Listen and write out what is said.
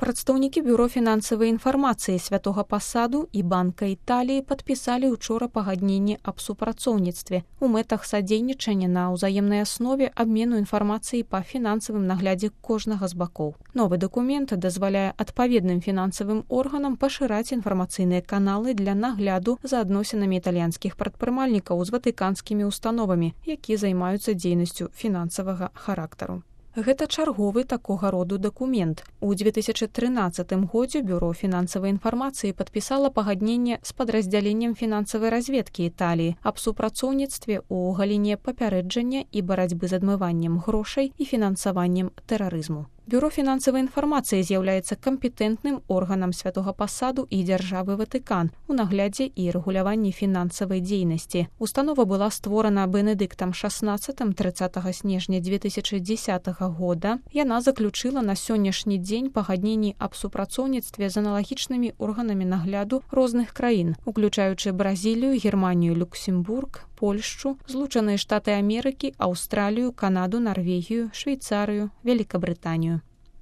Прадстаўнікі бюро фінансавай інфармацыі Святога Пасаду і Банка Італіі падпісалі ўчора пагадненне аб супрацоўніцтве у мэтах садзейнічання на ўзаемнай аснове абмену інфармацыі па фінансавым наглядзе кожнага з бакоў. Новы дакумент дазваляе адпаведным фінансавым органам пашыраць інфармацыйныя каналы для нагляду за адносінамі італьянскіх прадпрымальнікаў з ватыканскімі установамі, якія займаюцца дзейнасцю фінансавага характару. Гэта чарговы такога роду дакумент. У 2013 годзе Бюро фінансавай інфармацыі падпісала пагадненне з падраздзяленнем фінансавай разведкі Італіі аб супрацоўніцтве ў галіне папярэджання і барацьбы з адмываннем грошай і фінансаваннем тэрарызму. Бюро фінансавай інфармацыі з'яўляецца кампетэнтным органам Святога Пасаду і дзяржавы Ватыкан у наглядзе і рэгуляванні фінансавай дзейнасці. Установа была створана Бенедыктам XVI 30 снежня 2010 года. Яна заключыла на сённяшні дзень пагадненні аб супрацоўніцтве з аналагічнымі органамі нагляду розных краін, уключаючы Бразілію, Германію, Люксембург, Польшчу, Злучаныя Штаты Амерыкі, Аўстралію, Канаду, Нарвегію, Швейцарыю, Великабрытанію.